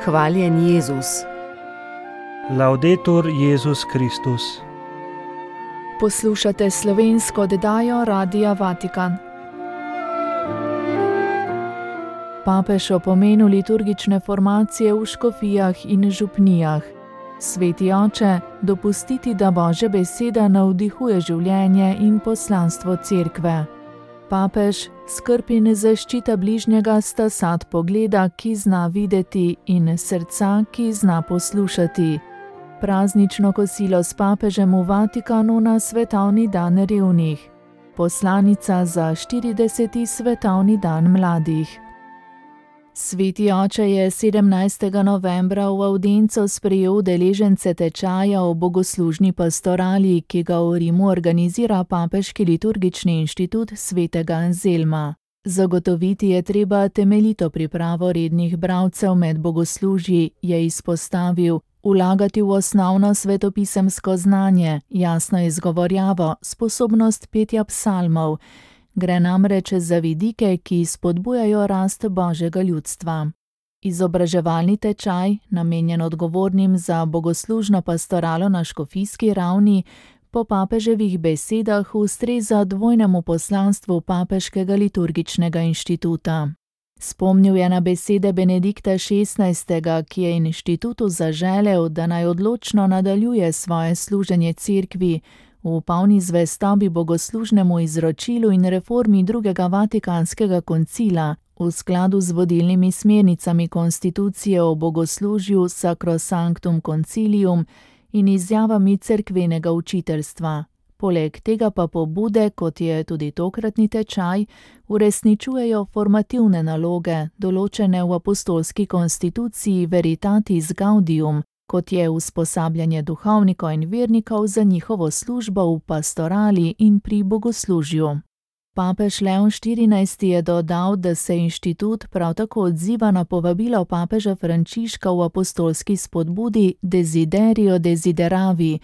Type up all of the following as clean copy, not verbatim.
Hvaljen Jezus. Laudetur Jezus Kristus. Poslušate slovensko oddajo Radia Vatikan. Papež o pomenu liturgične formacije v škofijah in župnijah. Sveti oče, dopustiti, da Božja beseda navdihuje življenje in poslanstvo cerkve. Papež, skrb in zaščita bližnjega sta sad pogleda, ki zna videti, in srca, ki zna poslušati. Praznično kosilo s papežem v Vatikanu na svetovni dan revnih. Poslanica za 40. svetovni dan mladih. Sveti oče je 17. novembra v avdienco sprejel udeležence tečaja o bogoslužni pastorali, ki ga v Rimu organizira Papeški liturgični inštitut svetega Anzelma. Zagotoviti je treba temeljito pripravo rednih bralcev med bogoslužji, je izpostavil, vlagati v osnovno svetopisemsko znanje, jasno izgovorjavo, sposobnost petja psalmov. Gre namreč za vidike, ki spodbujajo rast Božjega ljudstva. Izobraževalni tečaj, namenjen odgovornim za bogoslužno pastoralo na škofijski ravni, po papeževih besedah ustreza dvojnemu poslanstvu Papeškega liturgičnega inštituta. Spomnil je na besede Benedikta XVI., ki je inštitutu zaželel, da naj odločno nadaljuje svoje služenje cerkvi, v polni zvestobi bogoslužnemu izročilu in reformi drugega Vatikanskega koncila, v skladu z vodilnimi smernicami konstitucije o bogoslužju Sacrosanctum Concilium in izjavami cerkvenega učiteljstva. Poleg tega pa pobude, kot je tudi tokratni tečaj, uresničujejo formativne naloge, določene v apostolski konstituciji Veritatis Gaudium, kot je usposabljanje duhovnikov in vernikov za njihovo službo v pastorali in pri bogoslužju. Papež Leon XIV. Je dodal, da se inštitut prav tako odziva na povabilo papeža Frančiška v apostolski spodbudi Desiderio Desideravi,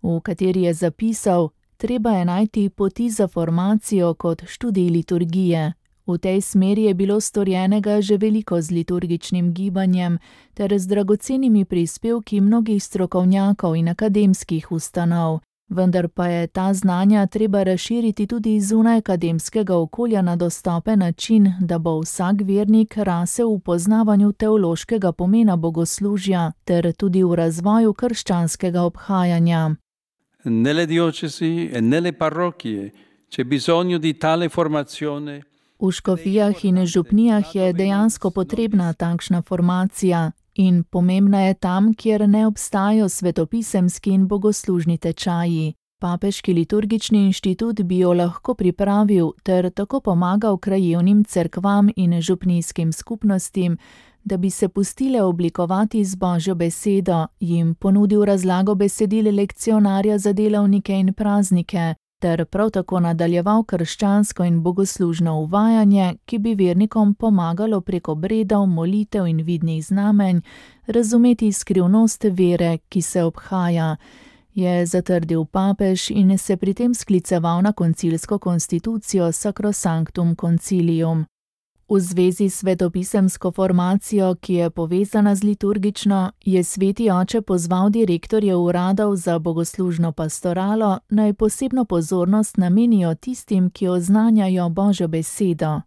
v kateri je zapisal: treba je najti poti za formacijo kot študij liturgije. V tej smeri je bilo storjenega že veliko z liturgičnim gibanjem ter z dragocenimi prispevki mnogih strokovnjakov in akademskih ustanov, vendar pa je ta znanja treba razširiti tudi zunaj akademskega okolja na dostopen način, da bo vsak vernik rasel v poznavanju teološkega pomena bogoslužja ter tudi v razvoju krščanskega obhajanja. Nelle diocesi e nelle parrocchie c'è bisogno di tale formazione. V škofijah in župnijah je dejansko potrebna takšna formacija in pomembna je tam, kjer ne obstajajo svetopisemski in bogoslužni tečaji. Papeški liturgični inštitut bi jo lahko pripravil ter tako pomagal krajevnim cerkvam in župnijskim skupnostim, da bi se pustile oblikovati z Božjo besedo, jim ponudil razlago besedil lekcionarja za delavnike in praznike, ter prav tako nadaljeval krščansko in bogoslužno uvajanje, ki bi vernikom pomagalo preko obredov, molitev in vidnih znamenj razumeti skrivnost vere, ki se obhaja, je zatrdil papež in se pri tem skliceval na koncilsko konstitucijo Sacrosanctum Concilium. V zvezi s svetopisemsko formacijo, ki je povezana z liturgično, je sveti oče pozval direktorje uradov za bogoslužno pastoralo, naj posebno pozornost namenijo tistim, ki oznanjajo Božjo besedo.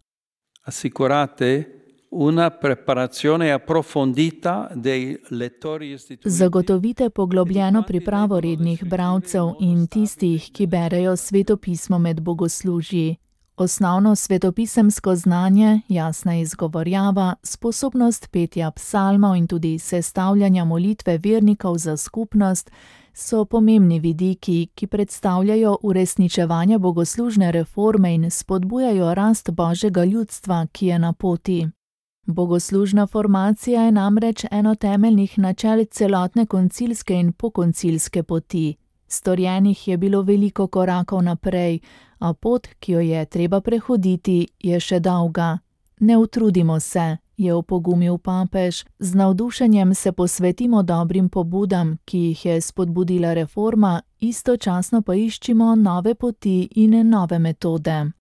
Assicurate una preparazione approfondita dei lettori istituiti. Zagotovite poglobljeno pripravo rednih bralcev in tistih, ki berejo svetopismo med bogoslužji. Osnovno svetopisemsko znanje, jasna izgovorjava, sposobnost petja psalmov in tudi sestavljanja molitve vernikov za skupnost so pomembni vidiki, ki predstavljajo uresničevanje bogoslužne reforme in spodbujajo rast Božjega ljudstva, ki je na poti. Bogoslužna formacija je namreč eno temeljnih načel celotne koncilske in pokoncilske poti. Storjenih je bilo veliko korakov naprej, a pot, ki jo je treba prehoditi, je še dolga. Ne utrudimo se, je opogumil papež, z navdušenjem se posvetimo dobrim pobudam, ki jih je spodbudila reforma, istočasno pa iščimo nove poti in nove metode.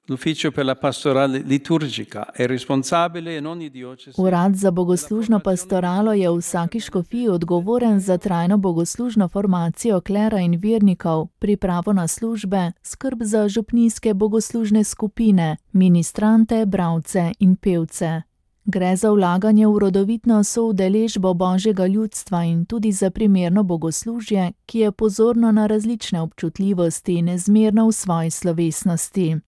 L'Ufficio per la pastorale liturgica è responsabile in ogni diocesi. Urad za bogoslužno pastoralo je v vsaki škofiji odgovoren za trajno bogoslužno formacijo klera in vernikov, pripravo na službe, skrb za župnijske bogoslužne skupine, ministrante, bralce in pevce. Gre za vlaganje v rodovitno soudeležbo božjega ljudstva in tudi za primerno bogoslužje, ki je pozorno na različne občutljivosti in nezmerno v svoji slovesnosti.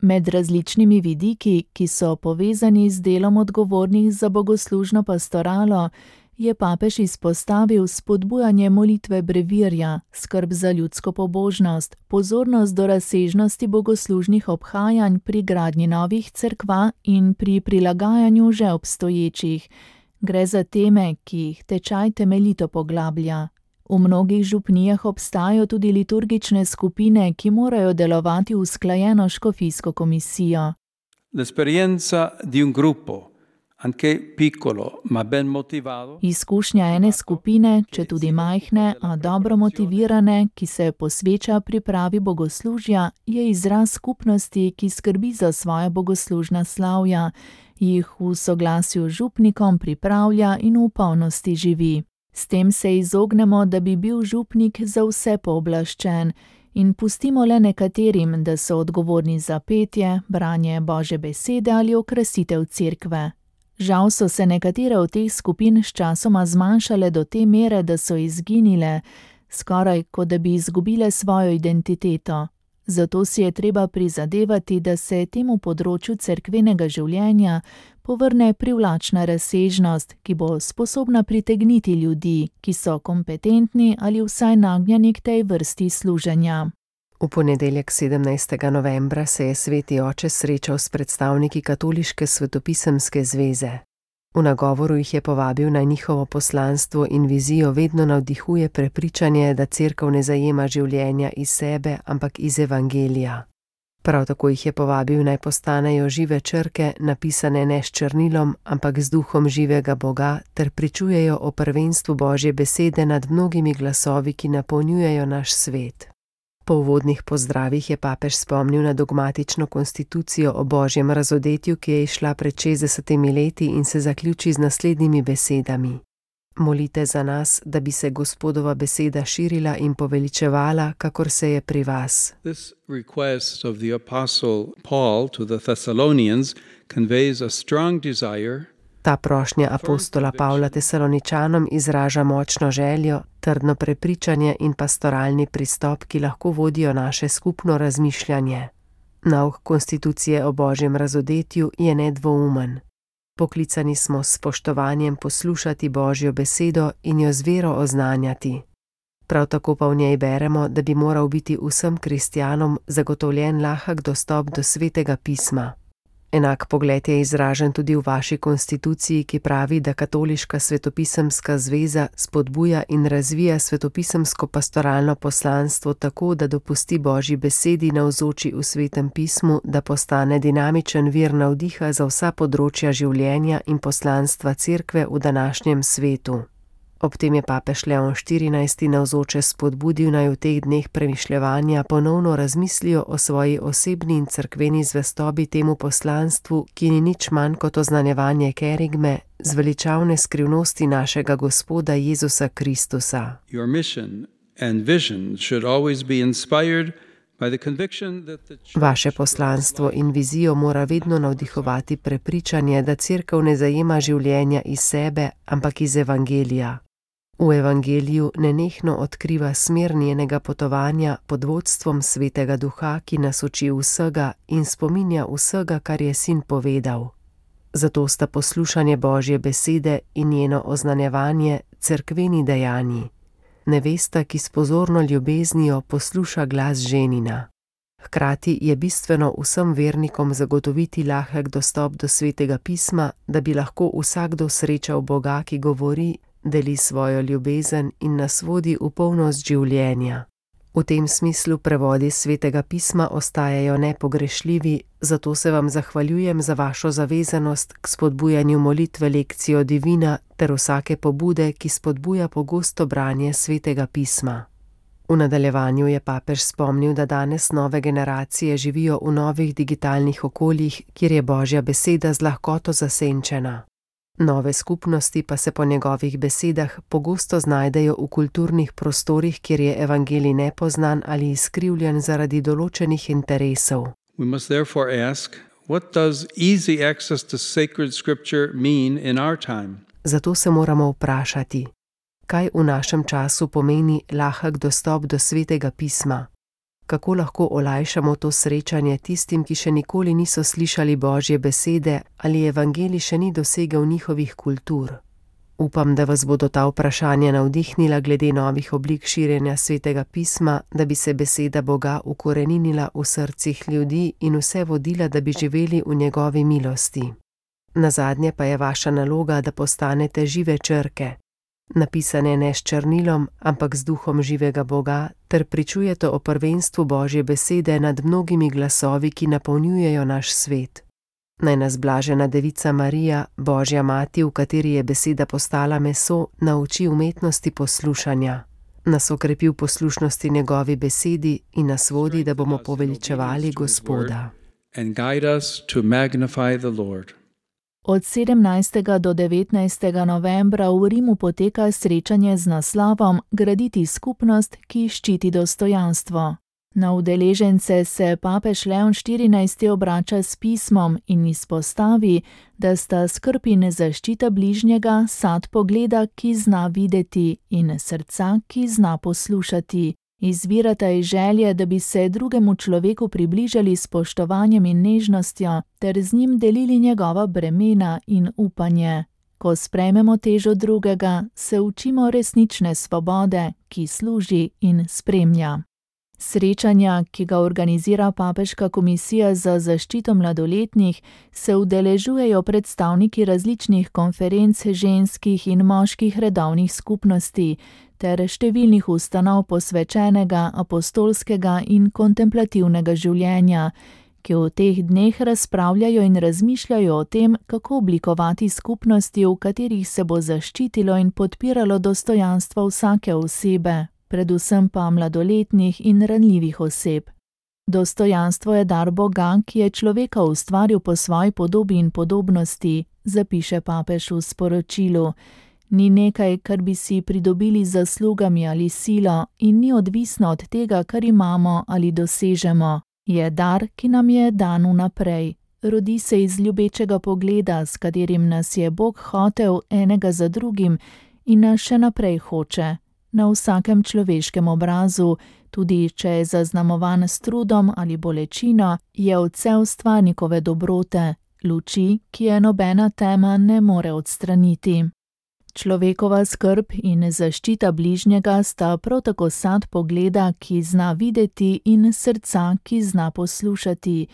Med različnimi vidiki, ki so povezani z delom odgovornih za bogoslužno pastoralo, je papež izpostavil spodbujanje molitve brevirja, skrb za ljudsko pobožnost, pozornost do razsežnosti bogoslužnih obhajanj pri gradnji novih cerkva in pri prilagajanju že obstoječih. Gre za teme, ki jih tečaj temeljito poglablja. V mnogih župnijah obstajajo tudi liturgične skupine, ki morajo delovati usklajeno s škofijsko komisijo. L'esperienza di un gruppo, anche piccolo, ma ben motivato. Izkušnja ene skupine, če tudi majhne, a dobro motivirane, ki se posveča pripravi bogoslužja, je izraz skupnosti, ki skrbi za svoja bogoslužna slavja, jih v soglasju z župnikom pripravlja in v polnosti živi. S tem se izognemo, da bi bil župnik za vse pooblaščen in pustimo le nekaterim, da so odgovorni za petje, branje Božje besede ali okrasitev cerkve. Žal so se nekatere od teh skupin sčasoma zmanjšale do te mere, da so izginile, skoraj kot da bi izgubile svojo identiteto. Zato si je treba prizadevati, da se temu področju cerkvenega življenja povrne privlačna razsežnost, ki bo sposobna pritegniti ljudi, ki so kompetentni ali vsaj nagnjeni k tej vrsti služenja. V ponedeljek 17. novembra se je Sveti oče srečal s predstavniki Katoliške svetopisemske zveze. V nagovoru jih je povabil, naj njihovo poslanstvo in vizijo vedno navdihuje prepričanje, da cerkev ne zajema življenja iz sebe, ampak iz evangelija. Prav tako jih je povabil, naj postanejo žive črke, napisane ne s črnilom, ampak z duhom živega Boga, ter pričujejo o prvenstvu Božje besede nad mnogimi glasovi, ki napolnjujejo naš svet. Po uvodnih pozdravih je papež spomnil na dogmatično konstitucijo o Božjem razodetju, ki je izšla pred 60 leti in se zaključi z naslednjimi besedami. Molite za nas, da bi se Gospodova beseda širila in poveličevala, kakor se je pri vas. This request of the apostle Paul to the Thessalonians conveys a strong desire. Ta prošnja apostola Pavla Tesaloničanom izraža močno željo, trdno prepričanje in pastoralni pristop, ki lahko vodijo naše skupno razmišljanje. Nauk konstitucije o Božjem razodetju je nedvoumen. Poklicani smo s spoštovanjem poslušati Božjo besedo in jo z vero oznanjati. Prav tako pa v njej beremo, da bi moral biti vsem kristjanom zagotovljen lahek dostop do Svetega pisma. Enak pogled je izražen tudi v vaši konstituciji, ki pravi, da Katoliška svetopisemska zveza spodbuja in razvija svetopisemsko pastoralno poslanstvo tako, da dopusti Božji besedi navzoči v Svetem pismu, da postane dinamičen vir navdiha za vsa področja življenja in poslanstva cerkve v današnjem svetu. Ob tem je papež Leon XIV. Navzoče spodbudil, naj v teh dneh premišljevanja ponovno razmislijo o svoji osebni in cerkveni zvestobi temu poslanstvu, ki ni nič manj kot oznanjevanje kerigme, zveličavne skrivnosti našega Gospoda Jezusa Kristusa. Your mission and vision should always be inspired by the conviction that the church. Vaše poslanstvo in vizijo mora vedno navdihovati prepričanje, da cerkev ne zajema življenja iz sebe, ampak iz evangelija. V evangeliju nenehno odkriva smer njenega potovanja pod vodstvom Svetega Duha, ki nas uči vsega in spominja vsega, kar je Sin povedal. Zato sta poslušanje Božje besede in njeno oznanjevanje cerkveni dejanji. Nevesta, ki s pozorno ljubeznijo posluša glas ženina. Hkrati je bistveno vsem vernikom zagotoviti lahek dostop do Svetega pisma, da bi lahko vsakdo srečal Boga, ki govori, deli svojo ljubezen in nas vodi v polnost življenja. V tem smislu prevodi Svetega pisma ostajajo nepogrešljivi, zato se vam zahvaljujem za vašo zavezanost k spodbujanju molitve Lectio Divina ter vsake pobude, ki spodbuja pogosto branje Svetega pisma. V nadaljevanju je papež spomnil, da danes nove generacije živijo v novih digitalnih okoljih, kjer je Božja beseda z lahkoto zasenčena. Nove skupnosti pa se po njegovih besedah pogosto znajdejo v kulturnih prostorih, kjer je evangelij nepoznan ali izkrivljen zaradi določenih interesov. We must therefore ask, what does easy access to sacred scripture mean in our time? Zato se moramo vprašati, kaj v našem času pomeni lahek dostop do svetega pisma? Kako lahko olajšamo to srečanje tistim, ki še nikoli niso slišali Božje besede ali evangelij še ni dosegel njihovih kultur? Upam, da vas bodo ta vprašanja navdihnila glede novih oblik širjenja svetega pisma, da bi se beseda Boga ukoreninila v srcih ljudi in vse vodila, da bi živeli v njegovi milosti. Nazadnje pa je vaša naloga, da postanete žive črke, napisane ne s črnilom, ampak z duhom živega Boga, ter pričujete o prvenstvu Božje besede nad mnogimi glasovi, ki napolnjujejo naš svet. Naj nas blažena devica Marija, Božja mati, v kateri je beseda postala meso, nauči umetnosti poslušanja, nas okrepi v poslušnosti njegovi besedi in nas vodi, da bomo poveličevali Gospoda. And guide us to magnify the Lord. Od 17. do 19. novembra v Rimu poteka srečanje z naslovom Graditi skupnost, ki ščiti dostojanstvo. Na udeležence se papež Leon XIV. Obrača s pismom in izpostavi, da sta skrb in zaščita bližnjega sad pogleda, ki zna videti, in srca, ki zna poslušati. Izvirata iz želje, da bi se drugemu človeku približali s spoštovanjem in nežnostjo, ter z njim delili njegova bremena in upanje. Ko sprejmemo težo drugega, se učimo resnične svobode, ki služi in spremlja. Srečanja, ki ga organizira Papeška komisija za zaščito mladoletnih, se udeležujejo predstavniki različnih konferenc ženskih in moških redovnih skupnosti ter številnih ustanov posvečenega, apostolskega in kontemplativnega življenja, ki v teh dneh razpravljajo in razmišljajo o tem, kako oblikovati skupnosti, v katerih se bo zaščitilo in podpiralo dostojanstvo vsake osebe, predvsem pa mladoletnih in ranljivih oseb. Dostojanstvo je dar Boga, ki je človeka ustvaril po svoji podobi in podobnosti, zapiše papež v sporočilu. Ni nekaj, kar bi si pridobili z zaslugami ali silo, in ni odvisno od tega, kar imamo ali dosežemo. Je dar, ki nam je dan vnaprej. Rodi se iz ljubečega pogleda, s katerim nas je Bog hotel enega za drugim in nas še naprej hoče. Na vsakem človeškem obrazu, tudi če je zaznamovan s trudom ali bolečino, je odsev stvarnikove dobrote, luči, ki je nobena tema ne more odstraniti. Človekova skrb in zaščita bližnjega sta prav tako sad pogleda, ki zna videti, in srca, ki zna poslušati.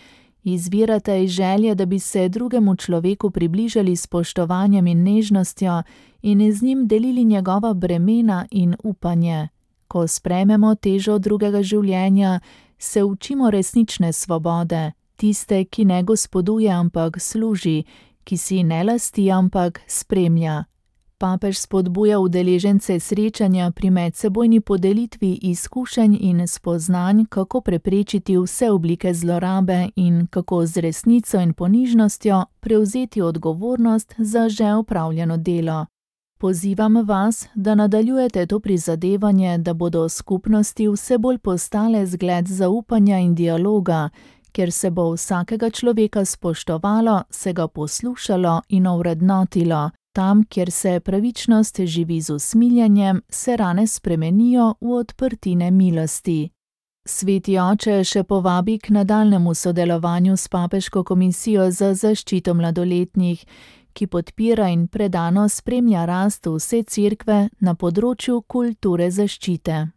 Izvirata iz želje, da bi se drugemu človeku približali s spoštovanjem in nežnostjo in z njim delili njegova bremena in upanje. Ko sprejmemo težo drugega življenja, se učimo resnične svobode, tiste, ki ne gospoduje, ampak služi, ki si ne lasti, ampak spremlja. Papež spodbuja udeležence srečanja pri medsebojni podelitvi izkušenj in spoznanj, kako preprečiti vse oblike zlorabe in kako z resnico in ponižnostjo prevzeti odgovornost za že opravljeno delo. Pozivam vas, da nadaljujete to prizadevanje, da bodo skupnosti vse bolj postale zgled zaupanja in dialoga, kjer se bo vsakega človeka spoštovalo, se ga poslušalo in ovrednotilo. Tam, kjer se pravičnost živi z usmiljenjem, se rane spremenijo v odprtine milosti. Sveti oče še povabi k nadaljnemu sodelovanju s Papeško komisijo za zaščito mladoletnih, ki podpira in predano spremlja rast vse cerkve na področju kulture zaščite.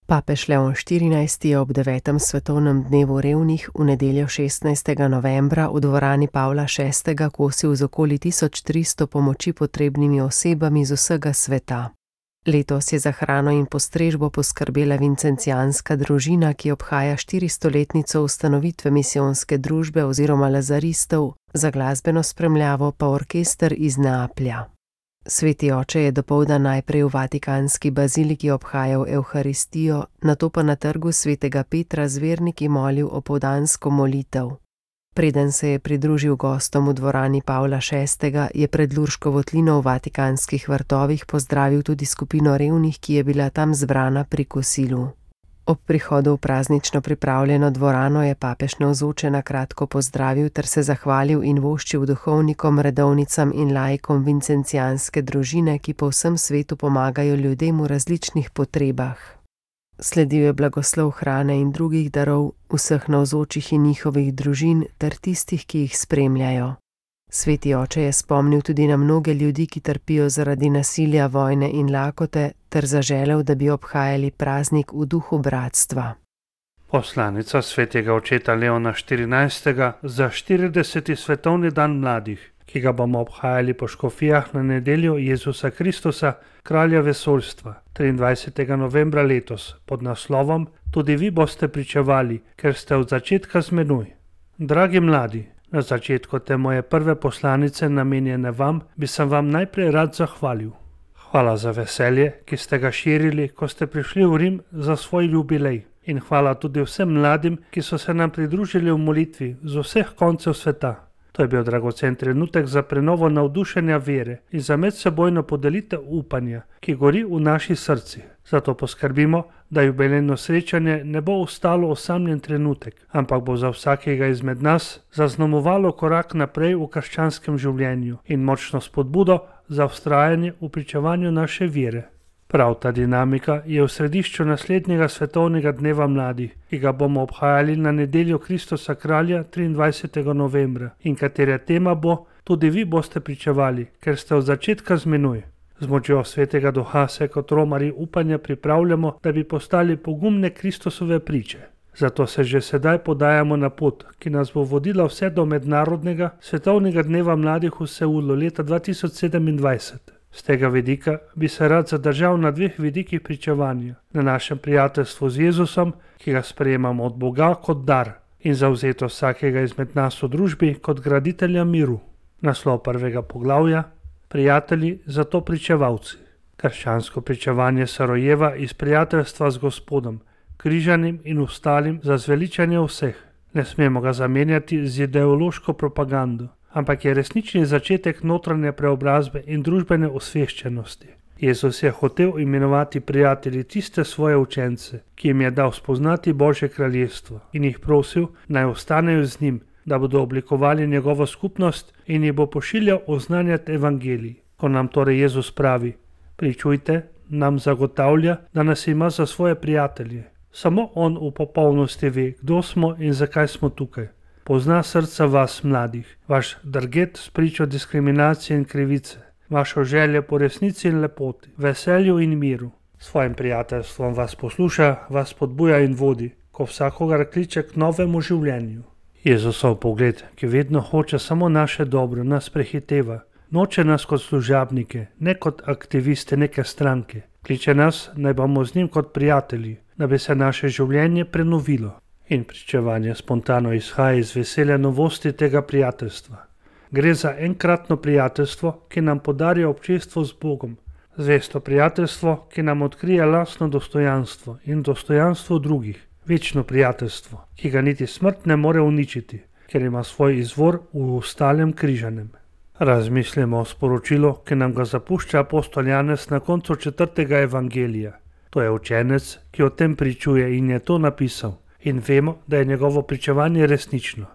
Papež Leon XIV. Je ob 9. svetovnem dnevu revnih v nedeljo 16. novembra v dvorani Pavla VI. Kosil z okoli 1300 pomoči potrebnimi osebami z vsega sveta. Letos je za hrano in postrežbo poskrbela vincencijanska družina, ki obhaja 400-letnico ustanovitve misijonske družbe oziroma lazaristov, za glasbeno spremljavo pa orkester iz Neaplja. Sveti oče je dopoldan najprej v vatikanski baziliki obhajal evharistijo, nato pa na trgu svetega Petra z verniki molil opoldansko molitev. Preden se je pridružil gostom v dvorani Pavla VI., je pred Lurško votlino v vatikanskih vrtovih pozdravil tudi skupino revnih, ki je bila tam zbrana pri kosilu. Ob prihodu v praznično pripravljeno dvorano je papež navzoče na kratko pozdravil ter se zahvalil in voščil duhovnikom, redovnicam in laikom vincencijanske družine, ki po vsem svetu pomagajo ljudem v različnih potrebah. Sledil je blagoslov hrane in drugih darov, vseh navzočih in njihovih družin ter tistih, ki jih spremljajo. Sveti oče je spomnil tudi na mnoge ljudi, ki trpijo zaradi nasilja, vojne in lakote, ter zaželel, da bi obhajali praznik v duhu bratstva. Poslanica svetega očeta Leona XIV. Za 40. svetovni dan mladih, ki ga bomo obhajali po škofijah na nedeljo Jezusa Kristusa, kralja vesoljstva, 23. novembra letos, pod naslovom Tudi vi boste pričevali, ker ste od začetka z menoj. Dragi mladi, na začetku te moje prve poslanice, namenjene vam, bi sem vam najprej rad zahvalil. Hvala za veselje, ki ste ga širili, ko ste prišli v Rim za svoj jubilej. In hvala tudi vsem mladim, ki so se nam pridružili v molitvi z vseh koncev sveta. To je bil dragocen trenutek za prenovo navdušenja vere in za medsebojno podelitev upanja, ki gori v naših srcih. Zato poskrbimo, da jubilejno srečanje ne bo ostalo osamljen trenutek, ampak bo za vsakega izmed nas zaznamovalo korak naprej v krščanskem življenju in močno spodbudo za vztrajanje v pričevanju naše vere. Prav ta dinamika je v središču naslednjega svetovnega dneva mladih, ki ga bomo obhajali na nedeljo Kristusa kralja 23. novembra in katere tema bo Tudi vi boste pričevali, ker ste od začetka z menoj. Z močjo svetega duha se kot romarji upanja pripravljamo, da bi postali pogumne Kristusove priče. Zato se že sedaj podajamo na pot, ki nas bo vodila vse do mednarodnega svetovnega dneva mladih v Seulu leta 2027. Z tega vidika bi se rad zadržal na dveh vidikih pričevanja. Na našem prijateljstvu z Jezusom, ki ga sprejemamo od Boga kot dar, in zavzeto vsakega izmed nas v družbi kot graditelja miru. Naslov prvega poglavja: Prijatelji, zato pričevalci. Krščansko pričevanje se rojeva iz prijateljstva z Gospodom, križanim in ostalim za zveličanje vseh. Ne smemo ga zamenjati z ideološko propagando, ampak je resnični začetek notranje preobrazbe in družbene osveščenosti. Jezus je hotel imenovati prijatelji tiste svoje učence, ki jim je dal spoznati Božje kraljestvo, in jih prosil, naj ostanejo z njim, da bodo oblikovali njegovo skupnost in jih bo pošiljal oznanjati evangelij. Ko nam torej Jezus pravi: pričujte, nam zagotavlja, da nas ima za svoje prijatelje. Samo on v popolnosti ve, kdo smo in zakaj smo tukaj. Pozna srca vas, mladih, vaš drget s pričo diskriminacije in krivice, vašo željo po resnici in lepoti, veselju in miru. S svojim prijateljstvom vas posluša, vas podbuja in vodi, ko vsakogar kliče k novemu življenju. Jezusov pogled, ki vedno hoče samo naše dobro, nas prehiteva. Noče nas kot služabnike, ne kot aktiviste neke stranke. Kliče nas, naj bomo z njim kot prijatelji, da bi se naše življenje prenovilo. In pričevanje spontano izhaja iz veselja novosti tega prijateljstva. Gre za enkratno prijateljstvo, ki nam podarja občestvo z Bogom. Zvesto prijateljstvo, ki nam odkrije lastno dostojanstvo in dostojanstvo drugih. Večno prijateljstvo, ki ga niti smrt ne more uničiti, ker ima svoj izvor v ostalem križanem. Razmislimo o sporočilu, ki nam ga zapušča apostol Janez na koncu 4. evangelija. To je učenec, ki o tem pričuje in je to napisal. In vemo, da je njegovo pričevanje resnično.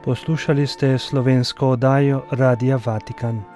Poslušali ste slovensko oddajo Radia Vatikan.